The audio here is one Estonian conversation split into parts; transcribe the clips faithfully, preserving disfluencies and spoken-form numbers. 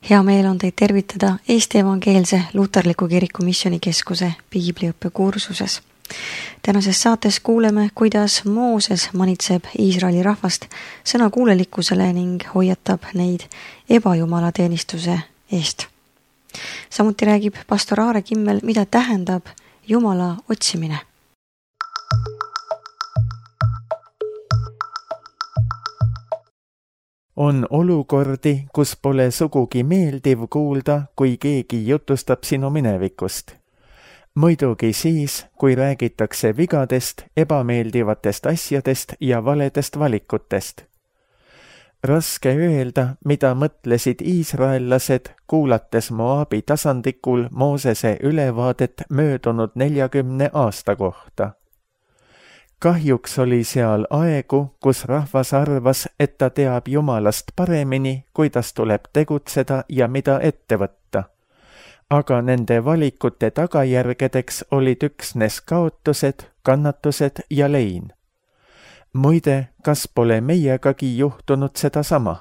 Hea meel on teid tervitada Eesti Evangeelse Luterliku Kiriku Missioonikeskuse piibliõppe kursuses. Tänases saates kuuleme, kuidas Mooses manitseb Iisraeli rahvast sõnakuulelikkusele ning hoiatab neid ebajumalateenistuse eest. Samuti räägib pastor Aare Kimmel, mida tähendab Jumala otsimine. On olukordi, kus pole sugugi meeldiv kuulda, kui keegi jutustab sinu minevikust. Muidugi siis, kui räägitakse vigadest, ebameeldivatest asjadest ja valedest valikutest. Raske öelda, mida mõtlesid iisraellased, kuulates Moabi tasandikul Moosese ülevaadet möödunud neljakümne aasta kohta. Kahjuks oli seal aegu, kus rahvas arvas, et ta teab Jumalast paremini, kuidas tuleb tegutseda ja mida ette võtta. Aga nende valikute tagajärgedeks olid üksnes kaotused, kannatused ja lein. Muide, kas pole meiegagi juhtunud seda sama?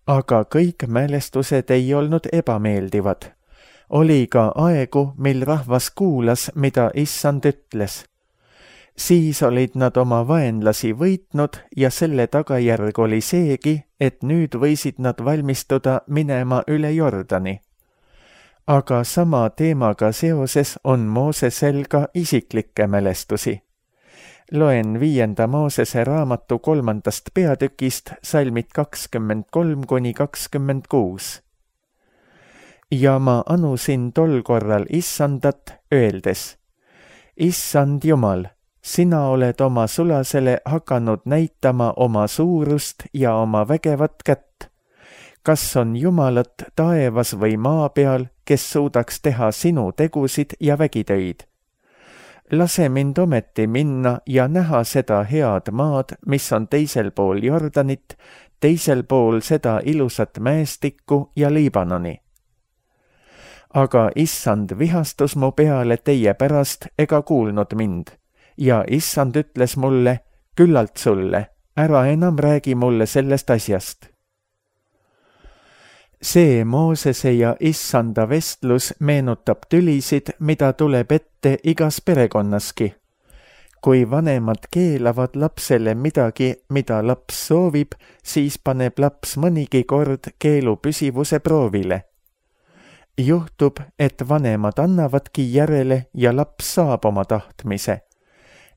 Aga kõik mälestused ei olnud ebameeldivad. Oli ka aegu, mil rahvas kuulas, mida Issand ütles. Siis olid nad oma vaenlasi võitnud ja selle tagajärg oli seegi, et nüüd võisid nad valmistuda minema üle Jordani. Aga sama teemaga seoses on Moosesel ka isiklikke mälestusi. Loen viienda Moosese raamatu kolmandast peatükist salmid kakskümmend kolm kuni kakskümmend kuus. Ja ma anusin tol korral Issandat, öeldes: Issand Jumal, sina oled oma sulasele hakanud näitama oma suurust ja oma vägevat kätt. Kas on Jumalat taevas või maa peal, kes suudaks teha sinu tegusid ja vägitöid? Lase mind ometi minna ja näha seda head maad, mis on teisel pool Jordanit, teisel pool seda ilusat mäestikku ja Liibanoni. Aga Issand vihastus mu peale teie pärast ega kuulnud mind. Ja Issand ütles mulle, küllalt sulle, ära enam räägi mulle sellest asjast. See Moosese ja Issanda vestlus meenutab tülisid, mida tuleb ette igas perekonnaski. Kui vanemad keelavad lapsele midagi, mida laps soovib, siis paneb laps mõnigi kord keelu püsivuse proovile. Juhtub, et vanemad annavadki järele ja laps saab oma tahtmise.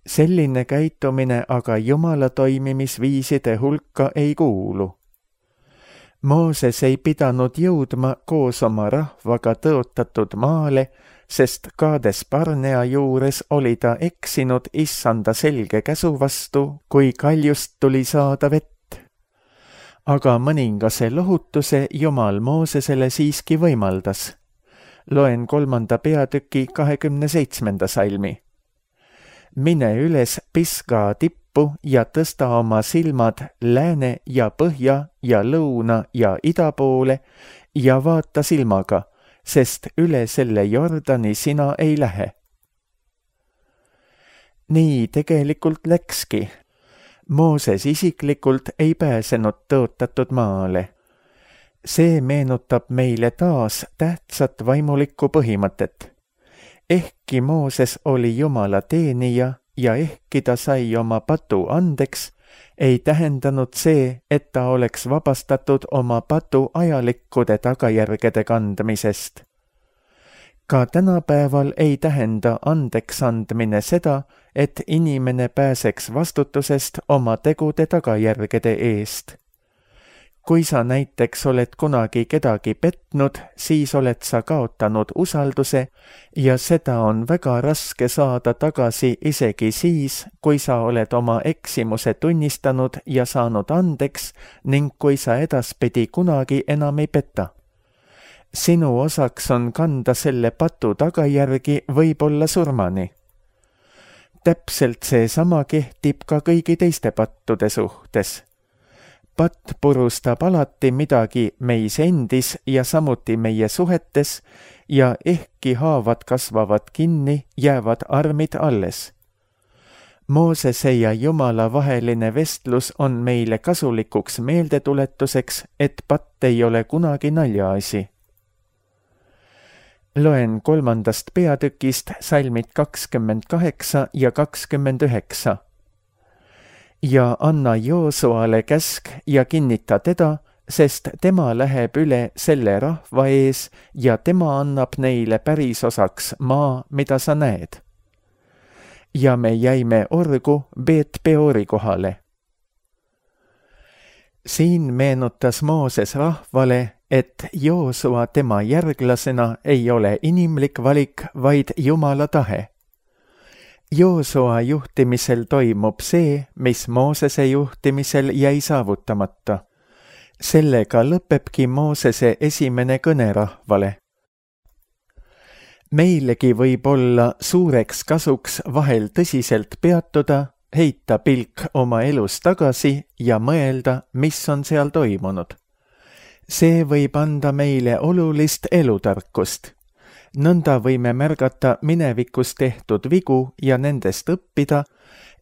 Selline käitumine aga Jumala toimimisviiside hulka ei kuulu. Mooses ei pidanud jõudma koos oma rahvaga tõotatud maale, sest Kaades Barnea juures oli ta eksinud Issanda selge käsu vastu, kui kaljust tuli saada vett. Aga mõningase lohutuse Jumal Moosesele siiski võimaldas. Loen kolmanda peatüki kahekümne seitsmenda salmi. Mine üles Pisga tippu ja tõsta oma silmad lääne ja põhja ja lõuna ja ida poole ja vaata silmaga, sest üle selle Jordani sina ei lähe. Nii tegelikult läkski. Mooses isiklikult ei pääsenud tõotatud maale. See meenutab meile taas tähtsat vaimulikku põhimõtet. Ehkki Mooses oli Jumala teenija ja ehkki ta sai oma patu andeks, ei tähendanud see, et ta oleks vabastatud oma patu ajalikkude tagajärgede kandmisest. Ka tänapäeval ei tähenda andeks andmine seda, et inimene pääseks vastutusest oma tegude tagajärgede eest. Kui sa näiteks oled kunagi kedagi petnud, siis oled sa kaotanud usalduse ja seda on väga raske saada tagasi isegi siis, kui sa oled oma eksimuse tunnistanud ja saanud andeks ning kui sa edaspidi kunagi enam ei peta. Sinu osaks on kanda selle patu tagajärgi võib-olla surmani. Täpselt see sama kehtib ka kõigi teiste pattude suhtes. Patt purustab alati midagi meis endis ja samuti meie suhetes ja ehkki haavad kasvavad kinni, jäävad armid alles. Moosese ja Jumala vaheline vestlus on meile kasulikuks meeldetuletuseks, et patt ei ole kunagi naljaasi. Loen kolmandast peatükist salmid kakskümmend kaheksa ja kakskümmend üheksa. Ja anna Joosuale käsk ja kinnita teda, sest tema läheb üle selle rahva ees ja tema annab neile pärisosaks maa, mida sa näed. Ja me jäime orgu Beet Peori kohale. Siin meenutas Mooses rahvale, et Joosua tema järglasena ei ole inimlik valik, vaid Jumala tahe. Joosua juhtimisel toimub see, mis Moosese juhtimisel jäi saavutamata. Sellega lõpebki Moosese esimene kõne rahvale. Meilegi võib olla suureks kasuks vahel tõsiselt peatuda, heita pilk oma elus tagasi ja mõelda, mis on seal toimunud. See võib anda meile olulist elutarkust. Nõnda võime märgata minevikus tehtud vigu ja nendest õppida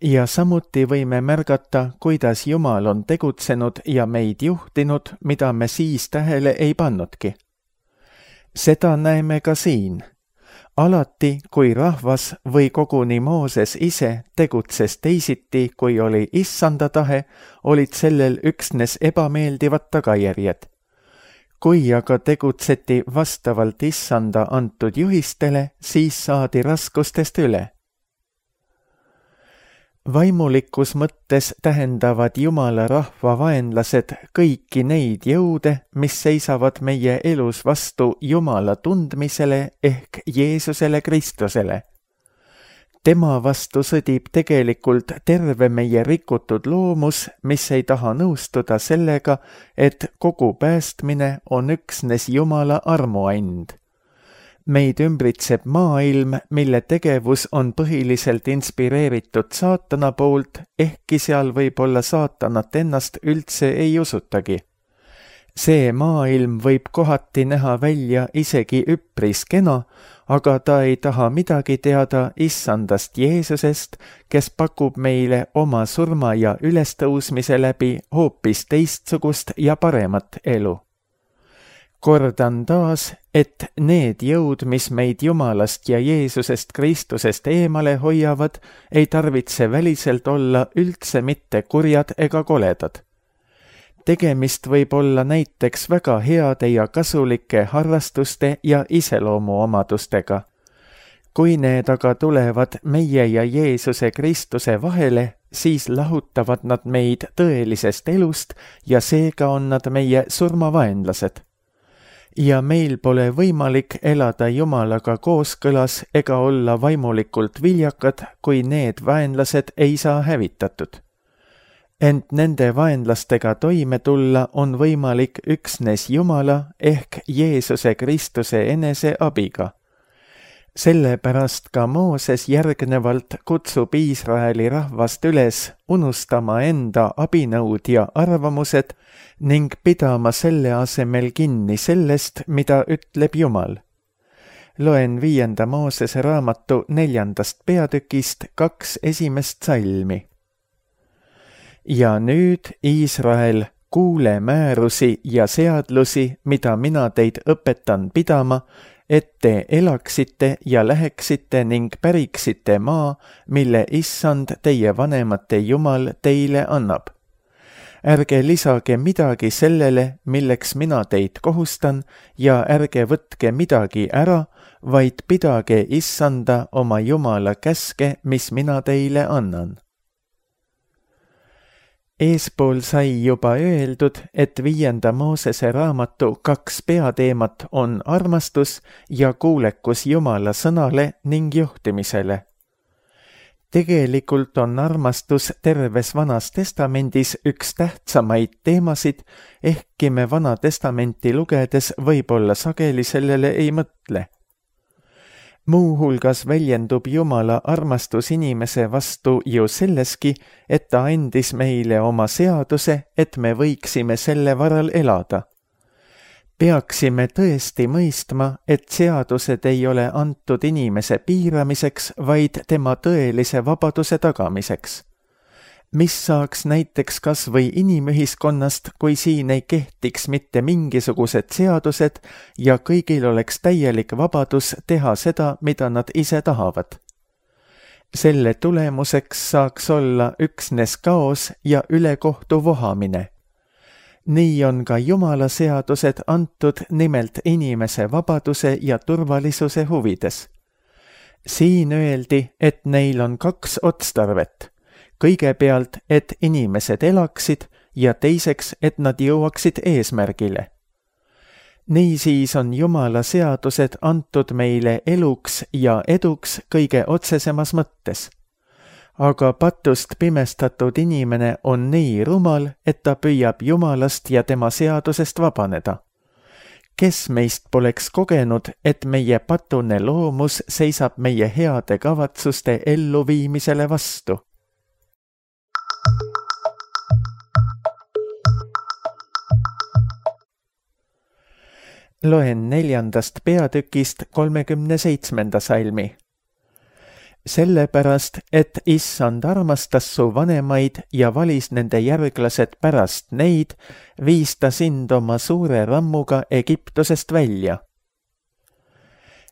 ja samuti võime märgata, kuidas Jumal on tegutsenud ja meid juhtinud, mida me siis tähele ei pannudki. Seda näeme ka siin. Alati, kui rahvas või koguni Mooses ise tegutses teisiti, kui oli issanda tahe, olid sellel üksnes ebameeldivad tagajärjed. Kui aga tegutseti vastavalt issanda antud juhistele, siis saadi raskustest üle. Vaimulikus mõttes tähendavad Jumala rahva vaenlased kõiki neid jõude, mis seisavad meie elus vastu Jumala tundmisele ehk Jeesusele Kristusele. Tema vastu sõdib tegelikult terve meie rikutud loomus, mis ei taha nõustuda sellega, et kogu päästmine on üksnes Jumala armuand. Meid ümbritseb maailm, mille tegevus on põhiliselt inspireeritud saatana poolt, ehkki seal võib olla saatanat ennast üldse ei usutagi. See maailm võib kohati näha välja isegi üpris kena, aga ta ei taha midagi teada issandast Jeesusest, kes pakub meile oma surma ja ülestõusmise läbi hoopis teistsugust ja paremat elu. Kordan taas, et need jõud, mis meid Jumalast ja Jeesusest Kristusest eemale hoiavad, ei tarvitse väliselt olla üldse mitte kurjad ega koledad. Tegemist võib olla näiteks väga heade ja kasulike harrastuste ja iseloomuomadustega. Kui need aga tulevad meie ja Jeesuse Kristuse vahele, siis lahutavad nad meid tõelisest elust ja seega on nad meie surmavaenlased. Ja meil pole võimalik elada Jumalaga kooskõlas ega olla vaimulikult viljakad, kui need vaenlased ei saa hävitatud. Ent nende vaenlastega toime tulla on võimalik üksnes Jumala ehk Jeesuse Kristuse enese abiga. Sellepärast ka Mooses järgnevalt kutsub Iisraeli rahvast üles unustama enda abinõud ja arvamused ning pidama selle asemel kinni sellest, mida ütleb Jumal. Loen viienda Moosese raamatu neljandast peatükist kaks esimest salmi. Ja nüüd, Iisrael, kuule määrusi ja seadlusi, mida mina teid õpetan pidama, et te elaksite ja läheksite ning päriksite maa, mille issand teie vanemate Jumal teile annab. Ärge lisage midagi sellele, milleks mina teid kohustan, ja ärge võtke midagi ära, vaid pidage issanda oma Jumala käske, mis mina teile annan. Eespool sai juba öeldud, et viienda Moosese raamatu kaks peateemat on armastus ja kuulekus Jumala sõnale ning juhtimisele. Tegelikult on armastus terves Vanas Testamendis üks tähtsamaid teemasid, ehkki me Vana Testamenti lugedes võib-olla sageli sellele ei mõtle. Muuhulgas väljendub Jumala armastus inimese vastu ju selleski, et ta andis meile oma seaduse, et me võiksime selle varal elada. peaksime tõesti mõistma, et seadused ei ole antud inimese piiramiseks, vaid tema tõelise vabaduse tagamiseks. Mis saaks näiteks kas või inimühiskonnast, kui siin ei kehtiks mitte mingisugused seadused ja kõigil oleks täielik vabadus teha seda, mida nad ise tahavad. Selle tulemuseks saaks olla üksnes kaos ja ülekohtu vohamine. Nii on ka Jumala seadused antud nimelt inimese vabaduse ja turvalisuse huvides. Siin öeldi, et neil on kaks otstarvet. Kõigepealt, et inimesed elaksid ja teiseks, et nad jõuaksid eesmärgile. Niisiis on Jumala seadused antud meile eluks ja eduks kõige otsesemas mõttes. Aga patust pimestatud inimene on nii rumal, et ta püüab Jumalast ja tema seadusest vabaneda. Kes meist poleks kogenud, et meie patune loomus seisab meie heade kavatsuste elluviimisele vastu? Loen neljandast peatükist kolmekümne seitsmenda salmi. Sellepärast, et Issand armastas su vanemaid ja valis nende järglased pärast neid, viis ta sind oma suure rammuga Egiptusest välja.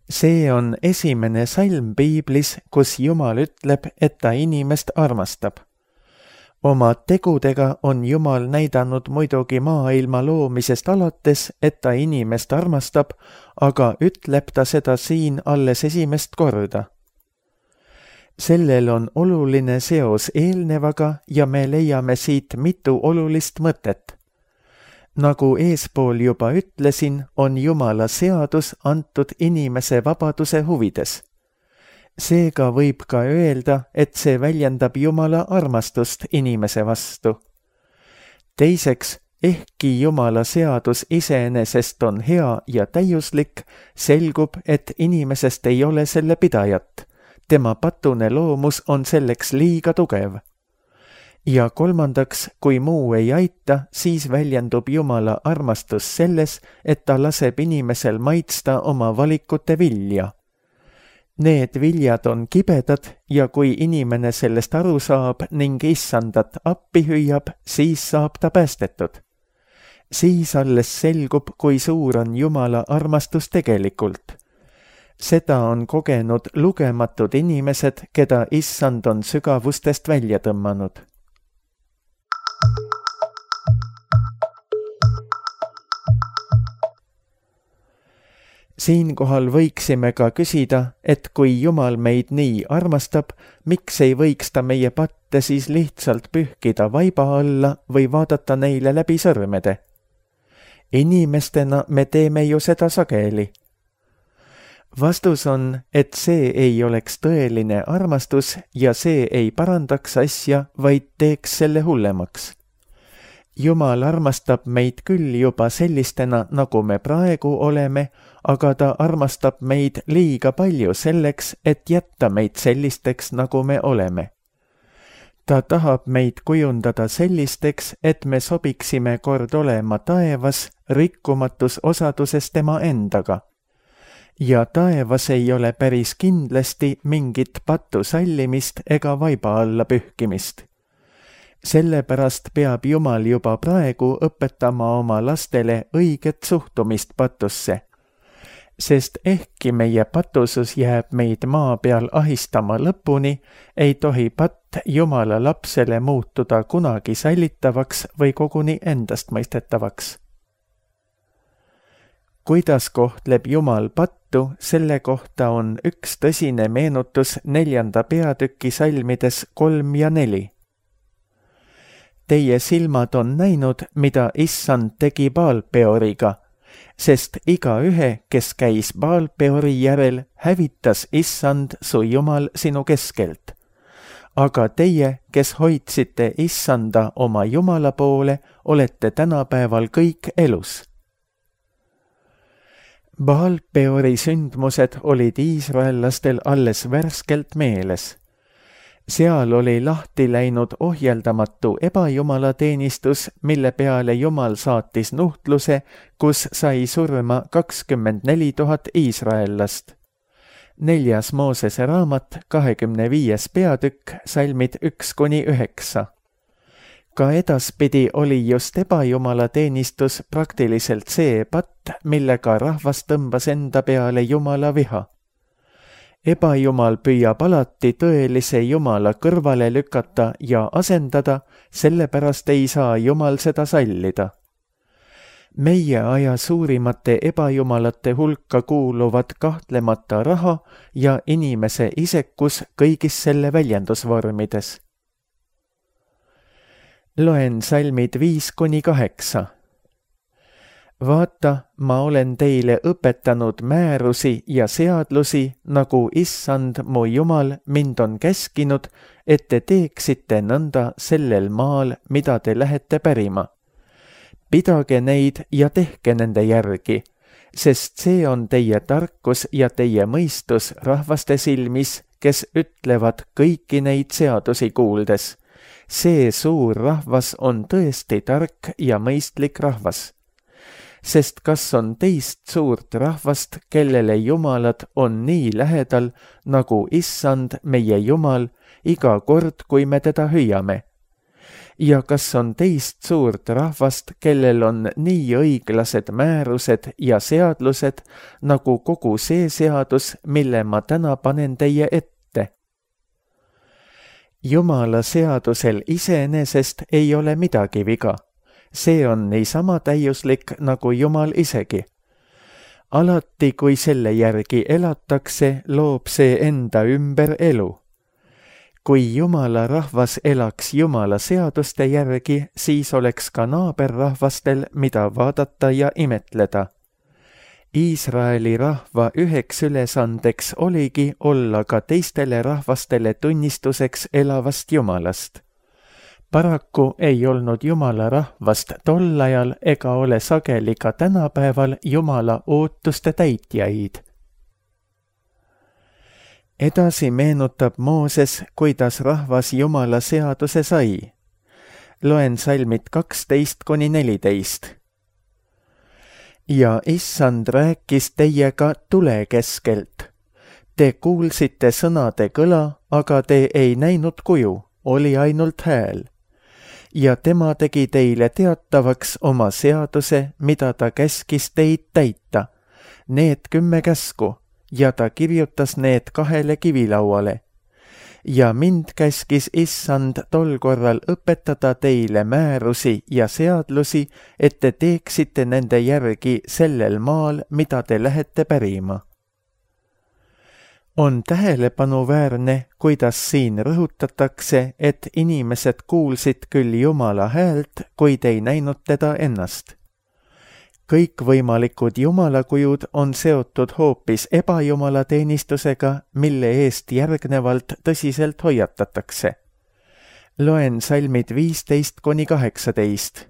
See on esimene salm piiblis, kus Jumal ütleb, et ta inimest armastab. Oma tegudega on Jumal näidanud muidugi maailma loomisest alates, et ta inimest armastab, aga ütleb ta seda siin alles esimest korda. Sellel on oluline seos eelnevaga ja me leiame siit mitu olulist mõtet. Nagu eespool juba ütlesin, on Jumala seadus antud inimese vabaduse huvides. Seega võib ka öelda, et see väljendab Jumala armastust inimese vastu. Teiseks, ehkki Jumala seadus iseenesest on hea ja täiuslik, selgub, et inimesest ei ole selle pidajat. Tema patune loomus on selleks liiga tugev. Ja kolmandaks, kui muu ei aita, siis väljendub Jumala armastus selles, et ta laseb inimesel maitsta oma valikute vilja. Need viljad on kibedad ja kui inimene sellest aru saab ning Issandat appi hüüab, siis saab ta päästetud. Siis alles selgub, kui suur on Jumala armastus tegelikult. Seda on kogenud lugematud inimesed, keda Issand on sügavustest välja tõmmanud. Siinkohal võiksime ka küsida, et kui Jumal meid nii armastab, miks ei võiks ta meie patte siis lihtsalt pühkida vaiba alla või vaadata neile läbi sõrmede? Inimestena me teeme ju seda sageli. Vastus on, et see ei oleks tõeline armastus ja see ei parandaks asja, vaid teeks selle hullemaks. Jumal armastab meid küll juba sellistena, nagu me praegu oleme, aga ta armastab meid liiga palju selleks, et jätta meid sellisteks, nagu me oleme. Ta tahab meid kujundada sellisteks, et me sobiksime kord olema taevas, rikkumatus osaduses tema endaga. Ja taevas ei ole päris kindlasti mingit pattu sallimist ega vaiba alla pühkimist. Sellepärast peab Jumal juba praegu õpetama oma lastele õiget suhtumist patusse. Sest ehkki meie patusus jääb meid maa peal ahistama lõpuni, ei tohi patt Jumala lapsele muutuda kunagi sallitavaks või koguni endastmõistetavaks. Kuidas kohtleb Jumal pattu, selle kohta on üks tõsine meenutus neljanda peatüki salmides kolm ja neli. Teie silmad on näinud, mida Issand tegi Baalpeoriga, sest igaühe, kes käis Baalpeori järel, hävitas Issand su Jumal sinu keskelt. Aga teie, kes hoidsite Issanda oma Jumala poole, olete tänapäeval kõik elus. Baalpeori sündmused olid iisraellastel alles värskelt meeles. seal oli lahti läinud ohjeldamatu ebajumalateenistus, mille peale Jumal saatis nuhtluse, kus sai surma kakskümmend neli tuhat iisraellast. Neljas Moosese raamat, kahekümne viies peatükk, salmid üks kuni üheksa. Ka edaspidi oli just ebajumalateenistus praktiliselt see patt, millega rahvas tõmbas enda peale Jumala viha. Ebajumal püüab alati tõelise Jumala kõrvale lükata ja asendada, sellepärast ei saa Jumal seda sallida. Meie aja suurimate ebajumalate hulka kuuluvad kahtlemata raha ja inimese isekus kõigis selle väljendusvormides. Loen salmid viis kuni kaheksa. Vaata, ma olen teile õpetanud määrusi ja seadlusi, nagu Issand mu Jumal mind on käskinud, et te teeksite nõnda sellel maal, mida te lähete pärima. Pidage neid ja tehke nende järgi, sest see on teie tarkus ja teie mõistus rahvaste silmis, kes ütlevad kõiki neid seadusi kuuldes. See suur rahvas on tõesti tark ja mõistlik rahvas. Sest kas on teist suurt rahvast, kellele jumalad on nii lähedal, nagu Issand meie Jumal, iga kord, kui me teda hüüame? Ja kas on teist suurt rahvast, kellel on nii õiglased määrused ja seadlused, nagu kogu see seadus, mille ma täna panen teie ette? Jumala seadusel iseenesest ei ole midagi viga. See on niisama täiuslik nagu Jumal isegi. Alati, kui selle järgi elatakse, loob see enda ümber elu. Kui Jumala rahvas elaks Jumala seaduste järgi, siis oleks ka naaberrahvastel, mida vaadata ja imetleda. Iisraeli rahva üheks ülesandeks oligi olla ka teistele rahvastele tunnistuseks elavast Jumalast. Paraku ei olnud Jumala rahvast tol ajal ega ole sageli ka tänapäeval Jumala ootuste täitjaid. Edasi meenutab Mooses, kuidas rahvas Jumala seaduse sai. Loen salmid kaksteist kuni neliteist. Ja Issand rääkis teiega tule keskelt. Te kuulsite sõnade kõla, aga te ei näinud kuju, oli ainult hääl. Ja tema tegi teile teatavaks oma seaduse, mida ta käskis teid täita, need kümme käsku, ja ta kirjutas need kahele kivilauale. Ja mind käskis Issand tol korral õpetada teile määrusi ja seadlusi, et te teeksite nende järgi sellel maal, mida te lähete pärima. On tähelepanuväärne, kuidas siin rõhutatakse, et inimesed kuulsid küll Jumala häält, kuid ei näinud teda ennast. Kõikvõimalikud jumalakujud on seotud hoopis ebajumalateenistusega, mille eest järgnevalt tõsiselt hoiatatakse. Loen salmid viisteist kuni kaheksateist.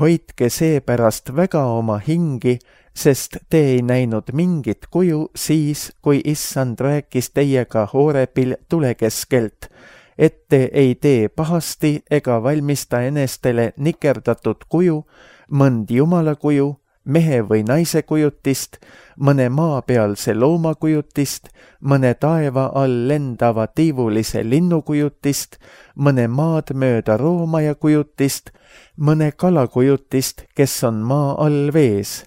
Hoidke seepärast väga oma hingi, sest te ei näinud mingit kuju siis, kui Issand rääkis teiega Horebil tule keskelt, et te ei tee pahasti ega valmista enestele nikerdatud kuju, mõnd jumalakuju, mehe või naise kujutist, mõne maapealse loomakujutist, mõne taeva all lendava tiivulise linnukujutist, mõne maad mööda roomaja kujutist, mõne kalakujutist, kes on maa all vees.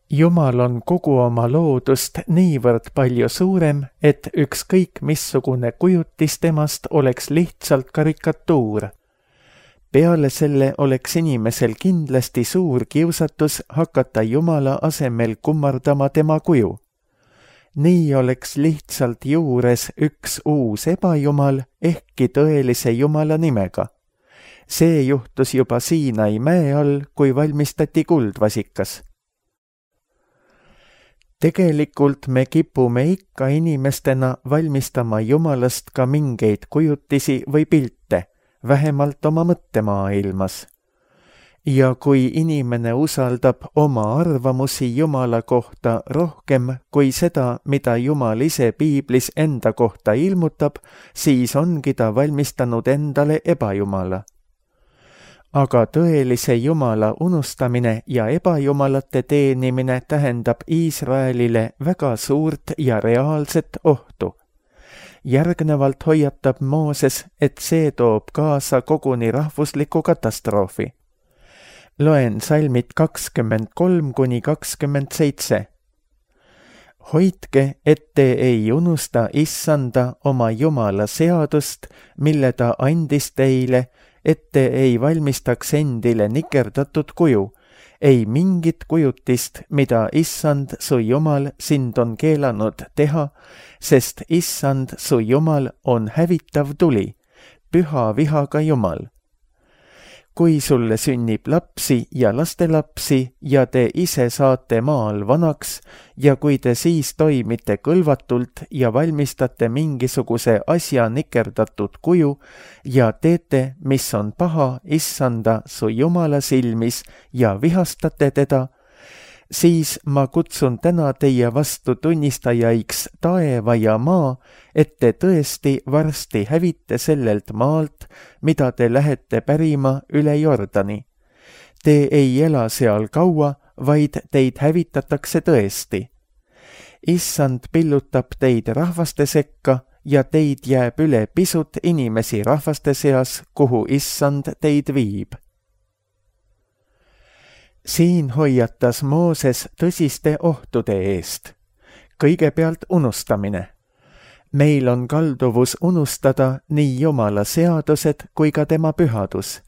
Jumal on kogu oma loodust niivõrd palju suurem, et ükskõik missugune kujutis temast oleks lihtsalt karikatuur. Peale selle oleks inimesel kindlasti suur kiusatus hakata Jumala asemel kummardama tema kuju. Nii oleks lihtsalt juures üks uus ebajumal, ehkki tõelise Jumala nimega. See juhtus juba Siinai mäe all, kui valmistati kuldvasikas. Tegelikult me kipume ikka inimestena valmistama Jumalast ka mingeid kujutisi või pilte, vähemalt oma mõttemaailmas. ja kui inimene usaldab oma arvamusi Jumala kohta rohkem kui seda, mida Jumal ise piiblis enda kohta ilmutab, siis ongi ta valmistanud endale ebajumala. Aga tõelise Jumala unustamine ja ebajumalate teenimine tähendab Iisraelile väga suurt ja reaalset ohtu. Järgnevalt hoiatab Mooses, et see toob kaasa koguni rahvusliku katastroofi. Loen salmid kakskümmend kolm kuni kakskümmend seitse. Hoidke, et te ei unusta Issanda oma Jumala seadust, mille ta andis teile, et te ei valmistaks endile nikerdatud kuju, ei mingit kujutist, mida Issand su Jumal sind on keelanud teha, sest Issand su Jumal on hävitav tuli, püha vihaga Jumal. Kui sulle sünnib lapsi ja lastelapsi ja te ise saate maal vanaks ja kui te siis toimite kõlvatult ja valmistate mingisuguse asja nikerdatud kuju ja teete, mis on paha Issanda su Jumala silmis ja vihastate teda, siis ma kutsun täna teie vastu tunnistajaiks taeva ja maa, et te tõesti varsti hävite sellelt maalt, mida te lähete pärima üle Jordani. Te ei ela seal kaua, vaid teid hävitatakse tõesti. Issand pillutab teid rahvaste sekka ja teid jääb üle pisut inimesi rahvaste seas, kuhu Issand teid viib. Siin hoiatas Mooses tõsiste ohtude eest. Kõigepealt unustamine. Meil on kalduvus unustada nii Jumala seadused kui ka tema pühadus.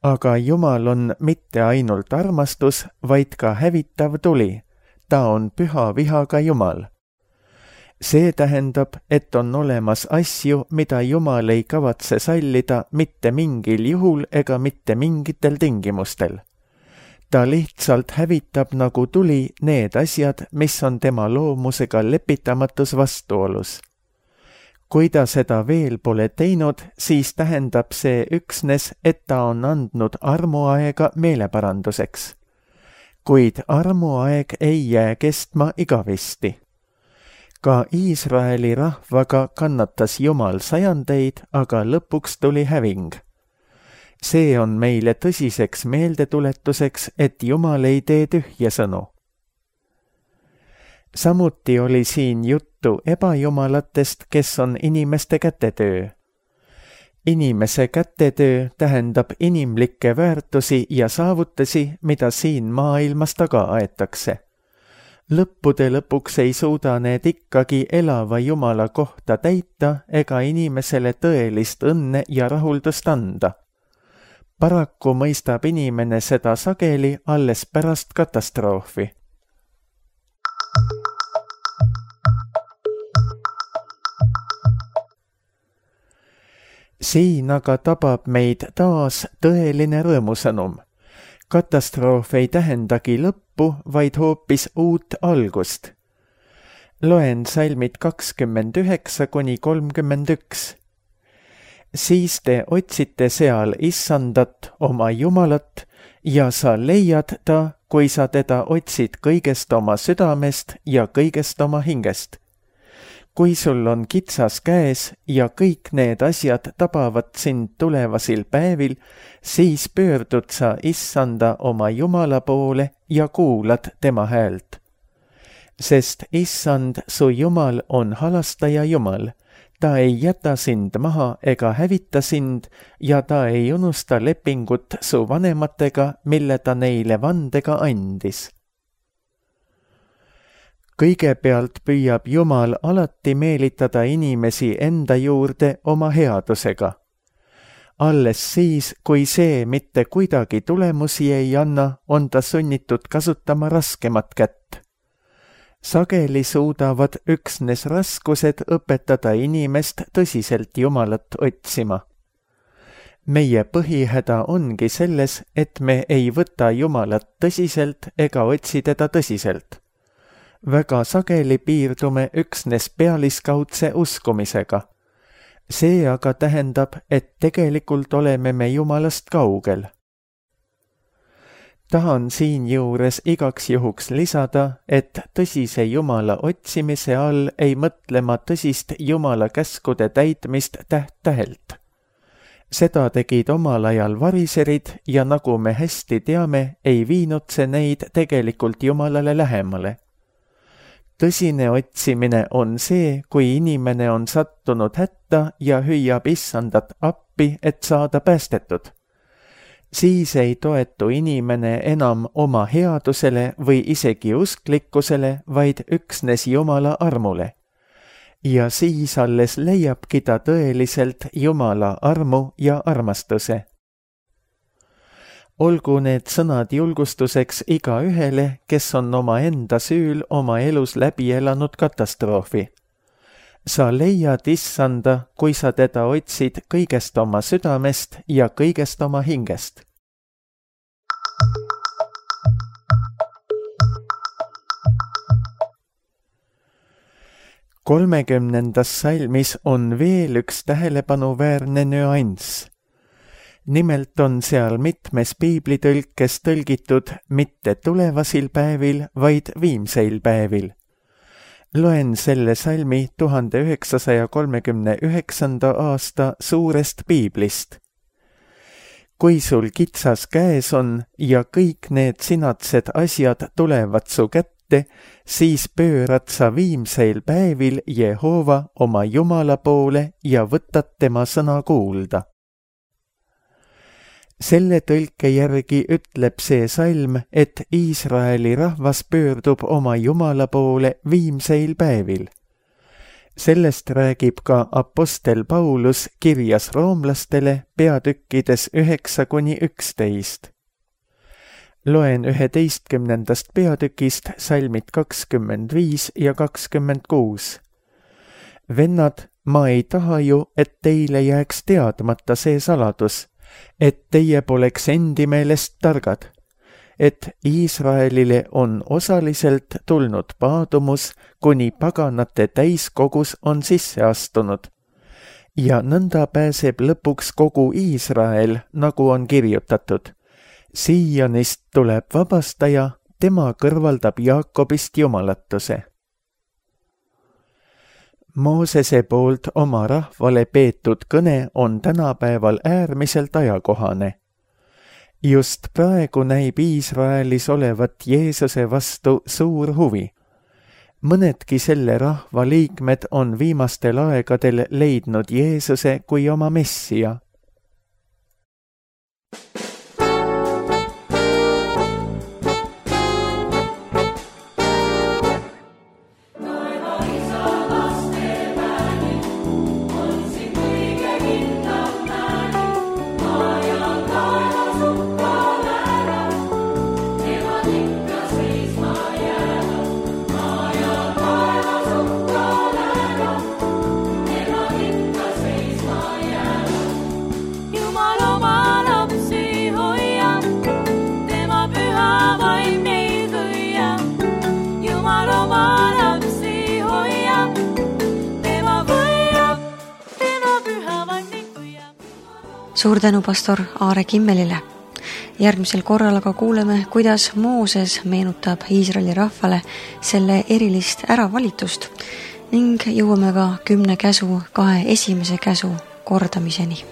Aga Jumal on mitte ainult armastus, vaid ka hävitav tuli. Ta on püha vihaga Jumal. See tähendab, et on olemas asju, mida Jumal ei kavatse sallida mitte mingil juhul ega mitte mingitel tingimustel. Ta lihtsalt hävitab nagu tuli need asjad, mis on tema loomusega lepitamatus vastuolus. Kui ta seda veel pole teinud, siis tähendab see üksnes, et ta on andnud armuaega meeleparanduseks. Kuid armuaeg ei jää kestma igavesti. Ka Iisraeli rahvaga kannatas Jumal sajandeid, aga lõpuks tuli häving. See on meile tõsiseks meeldetuletuseks, et Jumal ei tee tühja sõnu. Samuti oli siin juttu ebajumalatest, kes on inimeste kätetöö. Inimese kätetöö tähendab inimlikke väärtusi ja saavutusi, mida siin maailmas taga aetakse. Lõppude lõpuks ei suuda need ikkagi elava Jumala kohta täita ega inimesele tõelist õnne ja rahuldust anda. Paraku mõistab inimene seda sageli alles pärast katastroofi. Siin aga tabab meid taas tõeline rõõmusõnum. Katastroof ei tähendagi lõppu, vaid hoopis uut algust. Loen salmid kakskümmend üheksa kuni kolmkümmend üks. Siis te otsite seal Issandat, oma Jumalat, ja sa leiad ta, kui sa teda otsid kõigest oma südamest ja kõigest oma hingest. Kui sul on kitsas käes ja kõik need asjad tabavad sind tulevasil päevil, siis pöördud sa Issanda oma Jumala poole ja kuulad tema häält. Sest Issand, su Jumal, on halastaja Jumal. Ta ei jäta sind maha ega hävita sind ja ta ei unusta lepingut su vanematega, mille ta neile vandega andis. Kõigepealt püüab Jumal alati meelitada inimesi enda juurde oma headusega. Alles siis, kui see mitte kuidagi tulemusi ei anna, on ta sunnitud kasutama raskemat kätt. Sageli suudavad üksnes raskused õpetada inimest tõsiselt Jumalat otsima. Meie põhihäda ongi selles, et me ei võta Jumalat tõsiselt ega otsi teda tõsiselt. Väga sageli piirdume üksnes pealiskaudse uskumisega. See aga tähendab, et tegelikult oleme me Jumalast kaugel. tahan siinjuures igaks juhuks lisada, et tõsise Jumala otsimise all ei mõtle ma tõsist Jumala käskude täitmist täht-tähelt. Seda tegid omal ajal variserid ja nagu me hästi teame, ei viinud see neid tegelikult Jumalale lähemale. Tõsine otsimine on see, kui inimene on sattunud hätta ja hüüab issandat appi, et saada päästetud. Siis ei toetu inimene enam oma headusele või isegi usklikkusele, vaid üksnes Jumala armule. Ja siis alles leiabki ta tõeliselt Jumala armu ja armastuse. Olgu need sõnad julgustuseks iga ühele, kes on oma enda süül oma elus läbi elanud katastroofi. Sa leiad issanda, kui sa teda otsid kõigest oma südamest ja kõigest oma hingest. kolmekümnendas salmis on veel üks tähelepanuväärne nüanss. Nimelt on seal mitmes piiblitõlkes tõlgitud mitte tulevasil päevil, vaid viimseil päevil. Loen selle salmi tuhande üheksasaja kolmekümne üheksanda aasta suurest piiblist. Kui sul kitsas käes on ja kõik need sinatsed asjad tulevad su kätte, siis pöörad sa viimseil päevil Jehova oma Jumala poole ja võtad tema sõna kuulda. Selle tõlke järgi ütleb see salm, et Iisraeli rahvas pöördub oma Jumala poole viimseil päevil. Sellest räägib ka apostel Paulus kirjas roomlastele peatükkides üheksa kuni üksteist. Loen üheteistkümnendast peatükist salmid kakskümmend viis ja kakskümmend kuus. Vennad, ma ei taha ju, et teile jääks teadmata see saladus, et teie poleks endi meelest targad, et Iisraelile on osaliselt tulnud paadumus, kuni paganate täiskogus on sisse astunud. Ja nõnda pääseb lõpuks kogu Iisrael, nagu on kirjutatud. Siianist tuleb vabastaja, tema kõrvaldab Jaakobist jumalatuse. Moosese poolt oma rahvale peetud kõne on tänapäeval äärmiselt ajakohane. Just praegu näib Iisraelis olevat Jeesuse vastu suur huvi. Mõnedki selle rahva liikmed on viimastel aegadel leidnud Jeesuse kui oma messia. Suur tänu pastor Aare Kimmelile. Järgmisel korral aga kuuleme, kuidas Mooses meenutab Iisraeli rahvale selle erilist äravalitust ning jõuame ka kümne käsu kahe esimese käsu kordamiseni.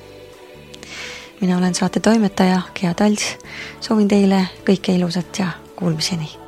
Mina olen saate toimetaja Gea Talts, soovin teile kõike ilusat ja kuulmiseni.